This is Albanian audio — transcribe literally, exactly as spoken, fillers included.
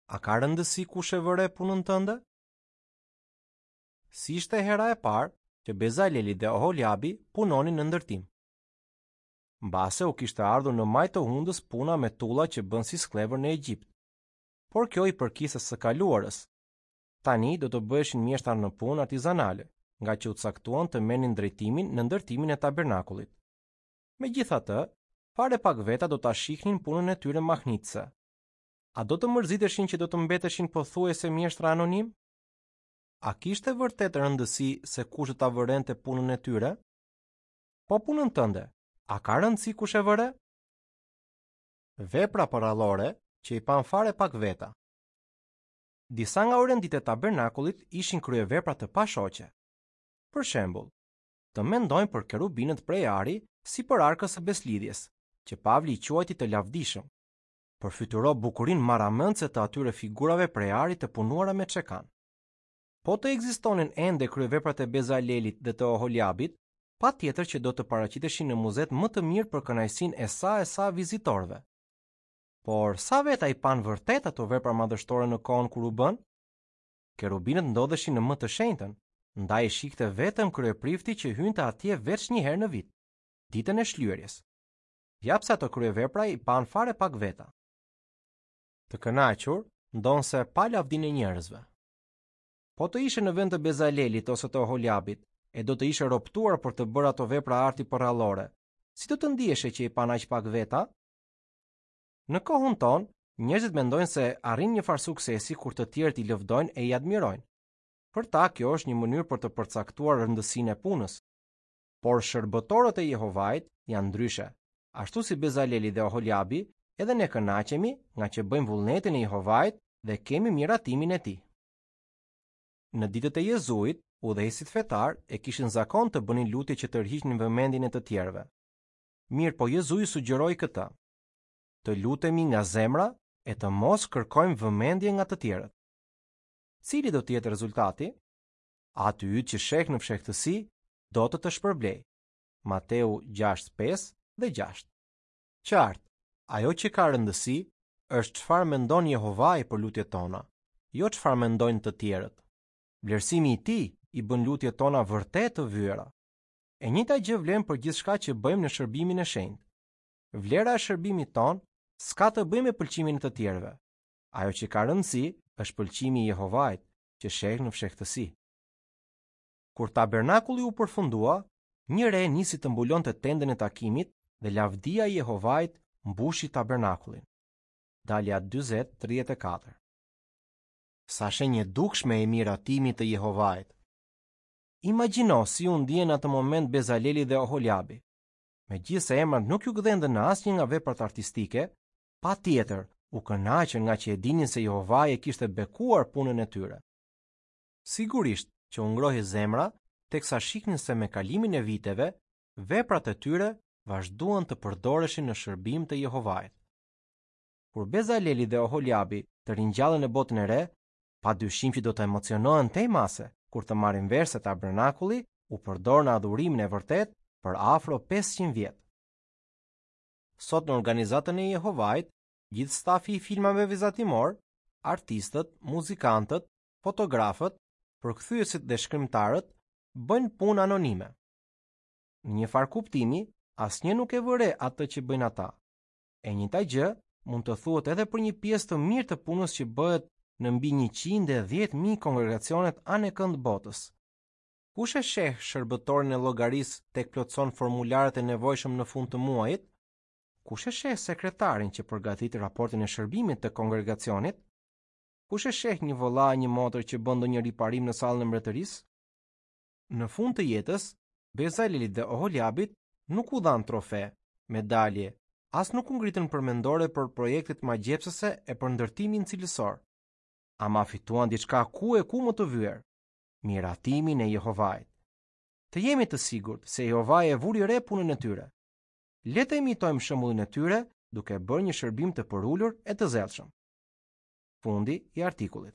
A ka rëndësi kush e vë re punën tënde? S'ishte hera e parë që Bezaleli dhe Oholiabi punonin në ndërtim. Mbase u kishte ardhur në majë të hundës puna me tulla që bënë si skllevër në Egjipt. Por kjo i përkiste së kaluarës. Tani do të bëheshin mjeshtra në punë artizanale, nga që u caktuan të merrnin drejtimin në ndërtimin e tabernakullit. Megjithatë, fare pak veta do ta shihnin punën e tyre mahnitëse. A do të mërziteshin që do të mbeteshin pothuajse mjeshtra anonim? A kishte vërtet rëndësi se kush do ta vërente punën e tyre? Po punën tënde, a ka rëndësi kush e vëre? Vepra përrallore që i pan fare pak veta. Disa nga orenditë e tabernakullit ishin kryevepra të pashoqe. Për shembull, të mendojmë për kerubinët prej ari sipër arkës së beslidhjes, që Pavli i quajti të lavdishëm. Përfytyro bukurinë marramendëse të atyre figurave prej ari të punuara me çekan. Po të ekzistonin ende kryeveprat e Bezalelit dhe të Oholiabit, patjetër që do të paraqiteshin në muzet më të mirë për kënaqësinë e sa e sa vizitorëve. Por sa veta i panë vërtet ato vepra madhështore në kohën kur u bën? Kerubinët ndodheshin në më të shenjtën, ndaj i shihte vetëm kryeprifti që hynte atje veç një herë në vit, ditën e shlyerjes. Ja pse ato kryevepra i panë fare pak veta. Të kënaqur, ndonse pa lavdinë e njerëzve. Po të ishe në vend të Bezalelit ose të Oholiabit, e do të ishe roptuar për të bërë ato vepra arti përrallore, si do të ndiheshe që i panë aq pak veta? Në kohën tonë, njerëzit mendojnë se arrin një farë suksesi kur të tjerët i lëvdojnë e i admirojnë. Për ta, kjo është një mënyrë për të përcaktuar rëndësinë e punës. Por shërbëtorët e Jehovait janë ndryshe. Ashtu si Bezaleli dhe Oholiabi, edhe ne kënaqemi nga që bëjmë vullnetin e Jehovait dhe kemi miratimin e tij. Në ditët e Jezuit, udhëheqësit fetar e kishin zakon të bënin lutje që tërhiqnin vëmendjen e të tjerëve. Mirë, po Jezui sugjeroi këtë: të lutemi nga zemra e të mos kërkojmë vëmendje nga të tjerët. Cili do të jetë rezultati? Aty yt që sheh në fshehtësi do të të shpërblej. Mateu gjashtë pesë dhe gjashtë. Qartë, ajo që ka rëndësi është çfarë mendon Jehovai për lutjet tona, jo çfarë mendojnë të tjerët. Vlerësimi i tij i bën lutjet tona vërtet të vyera. E njëjta gjë vlen për gjithçka që bëjmë në shërbimin e shenjtë. Vlera e shërbimit ton s'ka të bëjë me pëlqimin e të tjerëve. Ajo që ka rëndësi është pëlqimi i Jehovait, që sheh në fshehtësi. Kur tabernakulli u përfundua, një re nisi të mbulonte tendën e takimit dhe lavdia e Jehovait mbushi tabernakullin. Dalja dyzet tridhjetë e katër. Sa shenjë e dukshme e miratimit të Jehovait. Imagjino si u ndien atë moment Bezaleli dhe Oholiabi. Megjithëse emrat nuk ju gdhendën në asnjë nga veprat artistike, patjetër u kënaqën nga që e dinin se Jehovai e kishte bekuar punën e tyre. Sigurisht që u ngrohej zemra teksa shihnin se me kalimin e viteve, veprat e tyre vazhduan të përdoreshin në shërbim të Jehovait. Kur Bezaleli dhe Oholiabi të ringjallen në botën e re, padyshim që do të emocionohen tej mase kur të marrin vesh se tabernakulli u përdor në adhurimin e vërtet për afro pesëqind vjet. Sot në organizatën e Jehovait, gjithë stafi i filmave vizatimor, artistët, muzikantët, fotografët, përkthyesit dhe shkrimtarët bëjnë punë anonime. Në një farë kuptimi, asnjë nuk e vëre atë që bëjnë ata. E njëjta gjë mund të thuhet edhe për një pjesë të mirë të punës që bëhet në mbi njëqind e dhjetë mijë kongregacionet anekënd botës. Kush e sheh shërbëtorin e llogarisë tek plotëson formularët e nevojshëm në fund të muajit? Kush e sheh sekretarin që përgatit raportin e shërbimit të kongregacionit? Kush e sheh një vëlla a një motër që bën ndonjë riparim në sallën e mbretërisë? Në fund të jetës, Bezalelit dhe Oholiabit nuk u dhanë trofe, medalje, as nuk u ngritën përmendore për projektet magjepsëse e për ndërtimin cilësor. Ama fituan diçka ku e ku më të vyer, miratimin e Jehovait. Të jemi të sigurt se Jehovai e vuri re punën e tyre. Le të imitojmë shembullin e tyre duke bërë një shërbim të përulur e të zellshëm. Fundi i artikullit.